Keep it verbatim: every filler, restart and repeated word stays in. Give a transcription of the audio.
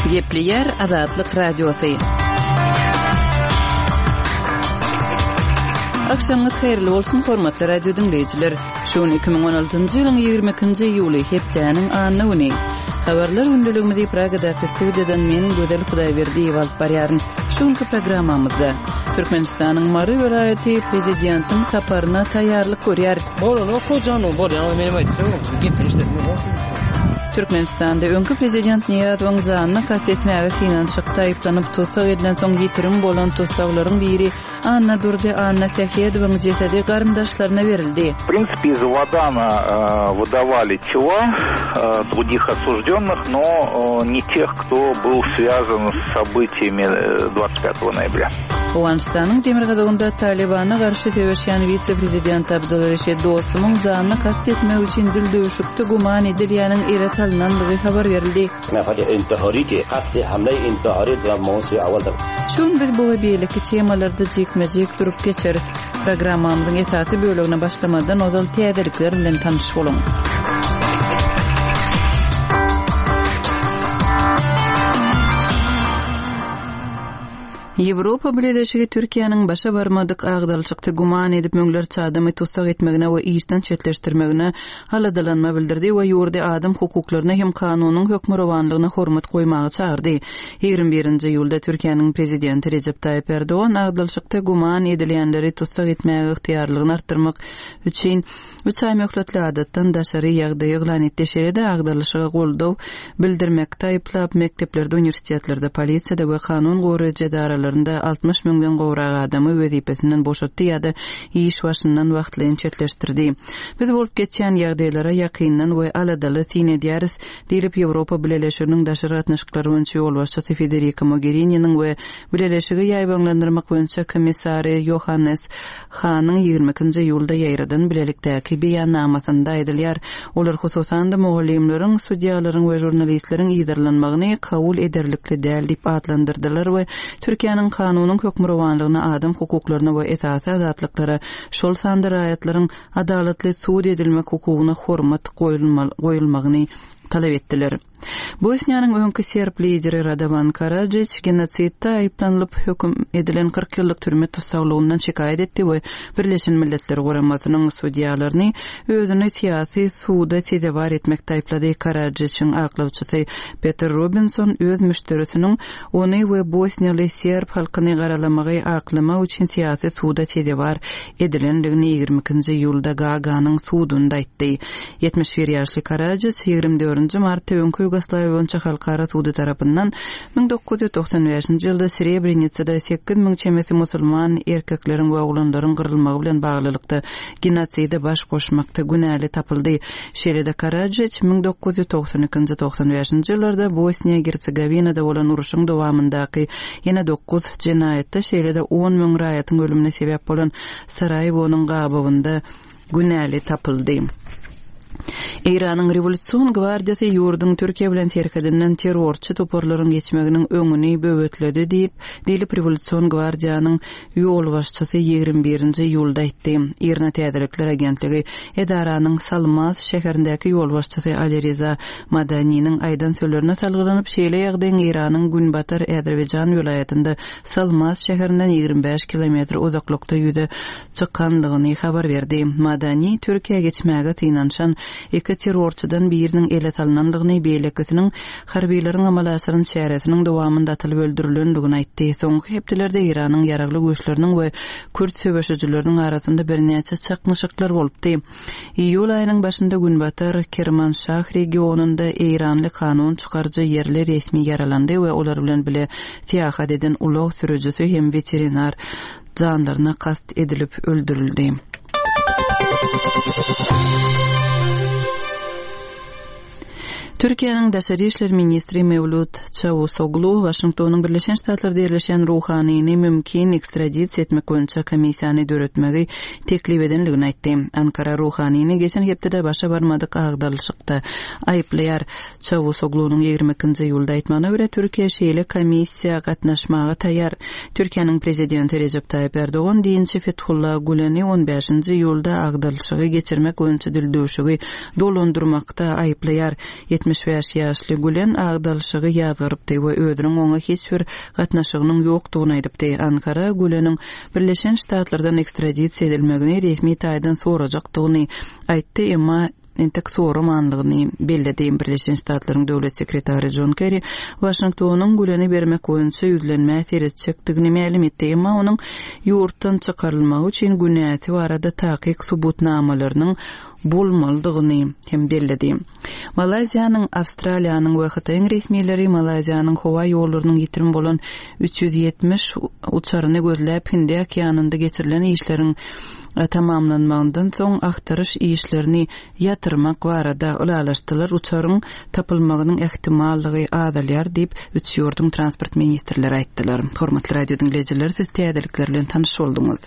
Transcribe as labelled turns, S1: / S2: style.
S1: Gepleýär Azatlyk Radiosy. Agşamyňyz haýyrly bolsun, hormatly radio diňleýjiler. Şu gün iki müň on altynjy ýylyň ýigrimi ikinji iýuly, hepdäniň anna güni. Habarlar gündeligimizi Pragadaky studiýadan men Gözel Hudaýberdiýewa alyp barýaryn. Şu günki programmamyzda Türkmenistanyň Mary welaýaty prezidentiň saparyna taýýarlyk görýär.
S2: Bolanok hojanyň bolýan menem aýtjak gepini işledim.
S1: Türkmenistanda öňki prezident Nyýazowyň janyna kast etmäge synanyşykda aýyplanyp tussag edilensoň ýitirim bolan tussaglaryň biri Annadurdy Annasähedowyň jesedi garyndaşlaryna berildi.
S3: W принципе, из Абадана, э, выдавали тела, э, других осужденных, но, э, не тех, кто был связан с событиями, э, двадцать пятого ноября.
S1: Owganystanyň demirgazygynda Talibana garşy söweşýän wise-prezident Abdul Reşid Dostumyň janyna kast etmek üçin dil döwüşikde güman edilýäniň ele salynandygy habar berildi. Şu gün biz bu we beýleki temalarda jikme-jik durup geçeris. Programmamyzyň esasy bölegine başlamadan ozal täzelikler bilen tanyş boluň. Ýewropa Bileleşigi Türkiýäniň başa barmadyk agdalyşykda güman edip müňlerçe adamy tussag etmegine we işden çetleşdirmegine aladalanma bildirdi we ýurdy adam hukuklaryna hem kanunyň hökmürowanlygyna hormat goýmaga çagyrdy. Ýigrimi birinji iýulda Türkiýäniň prezidenti Recep Tayyip Erdogan agdalyşykda güman edilýänleri tussag etmäge ygtyýarlygyny artdyrmak üçin üç aý möhletli adatdan daşary ýagdaýy yglan etdi. Şeýle-de agdalyşyga goldaw bildirmekde aýyplap mekdeplerde, uniwersitetlerde, polisiýada we kanun goraýjy edaralarynda altmyş müňden gowrak adamy wezipesinden boşatdy ýa-da iş başyndan wagtlaýyn çetleşdirdi. Biz bolup geçýän ýagdaýlara ýakyndan we aladaly syn edýäris, diýlip Ýewropa Bileleşiginiň daşary gatnaşyklary boýunça ýolbaşçysy Federica Mogherini'niň we Bileleşigi ýaýbaňlandyrmak boýunça komissary Johannes Hanyň ýigrimi ikinji iýulda ýaýradan bilelikdäki beýannamasynda aýdylýar. Olar hususan-da mugallymlaryň, sudýalaryň we žurnalistleriň ýyrdyrlanmagyny kabul ederlikli däl diýip atlandyrdylar we Türkiýäniň kanunyň hökmürowanlygyna, adam hukuklaryna we esasy azatlyklara, şol sanda raýatlaryň adalatly sud edilmek hukugyna hormat goýulma-, goýulmagyny talap etdiler. Bosniýanyň öňki serb lideri Radovan Karadžić genosidde aýyplanyp höküm edilen kyrk ýyllyk türme tussaglygyndan şikaýat etdi we Birleşen Milletler Guramasynyň sudýalaryny özüni syýasy suda sezewar etmekde aýyplady. Karadžićiň aklawçysy Peter Robinson öz müşderisiniň ony we bosniýaly serb halkyny garalamagy aklamak üçin syýasy suda sezewar edilendigini ýigrimi ikinji iýulda Gaganyň sudunda aýtdy. Ýetmiş bir ýaşly Karadžić ýigrimi dördünji martda öňki Ýugoslawiýa boýunça halkara sudy tarapyndan müň dokuz ýüz togsan bäşinji ýylda Srebrenicada sekiz müň çemesi musulman erkekleriň we oglanlaryň gyrylmagy bilen baglylykda genotside baş goşmakda günäli tapyldy. Şeýle-de Karadžić müň dokuz ýüz togsan ikinji togsan bäşinji ýyllarda Bosniýa Gersegovinada bolan uruşyň dowamyndaky ýene dokuz jenaýatda şeýle-de on müň raýatyň ölümine sebäp bolan Saraýewonyň gabawynda günäli tapyldy. Eýranyň Rewolýusion gwardiýasy ýurduň Türkiýe bilen serhedinden terrorçy toparlaryň geçmeginiň öňüni böwetledi diýip, diýlip Rewolýusion gwardiýanyň ýolbaşçysy ýigrimi birinji iýulda aýtdy. Irna Täzelikler agentligi edaranyň Salmas şäherindäki ýolbaşçysy Ali Riza Madaniniň aýdan sözlerine salgylanyp, şeýle ýagdaýyň Eýranyň Günbatar Azerbaýjan welaýatynda Salmas şäherinden ýigrimi bäş kilometr uzaklykda ýüze çykanlygyny habar berdi. Madani Türkiýe geçmäge synanyşan iki terrorçydan biriniň ele salynanlygyny, beýlekisiniň harbiýleriň amala aşyran çäresiniň dowamynda atylyp öldürilendigini aýtdy. Soňky hepdelerde Eýranyň ýaragly güýçleriniň we kürt söweşijileriniň arasynda birnäçe çaknyşyklar bolupdy. Iýul aýynyň başynda Günbatar Kermanşah regionynda Eýranly kanun çykaryjy ýerli resmi ýaralandy we olar bilen bile syýahat eden ulag sürüjisi hem weterinar janlaryna kast edilip öldürildi. Türkiýäniň Daşary işler ministri Mewlut Çawusoglu Waşingtonyň Birleşen Ştatlarda ýerleşen ruhanyny mümkin ekstradisiýa etmek boýunça komissiýany döretmegi teklip edenligini aýtdy. Ankara ruhanyny geçen hepdede başa barmadyk agdalyşykda aýyplaýar. Çawusoglunyň ýigrimi ikinji iýulda aýtmagyna görä Türkiýe şeýle komissiýa gatnaşmaga taýýar. Türkiýäniň prezidenti Recep Tayyip Erdogan dinçi Fethullah Güleni on bäşinji iýulda agdalyşygy geçirmek boýunça dildöwşügi dolandyrmakda aýyplaýar. Ýetmiş Ýetmiş bäş ýaşly Gülen agdalyşygy ýazgarypdy we özüniň oňa hiç bir gatnaşygynyň ýokdugyny aýdypdy. Ankara Güleniň Birleşen Ştatlardan ekstradisiýa edilmegini resmi taýdan sorajakdygyny aýtdy, emma entek soramanlygyny belledi. Birleşen Ştatlaryň döwlet sekretary Jon Kerri Waşingtonyň Güleni bermek boýunça ýüzlenmä seretjekdigini mälim etdi, emma onuň ýurtdan çykarylmagy üçin günäsi barada takyk subutnamalarynyň bolmalydygyny hem belledi. Malaýziýanyň, Awstraliýanyň we Hytaýyň resmileri Malaýziýanyň howa ýollarynyň ýitirim bolan üç ýüz ýetmiş uçaryny gözläp, Hindi okeanynda geçirilen işleriň tamamlanmagyndan soň agtaryş işlerini ýatyrmak barada ylalaşdylar, uçaryň tapylmagynyň ähtimallygy azalýar diýip, üç ýurduň transport ministrleri aýtdylar. Hormatly radio diňleýjiler, siz täzelikler bilen tanyş bolduňyz.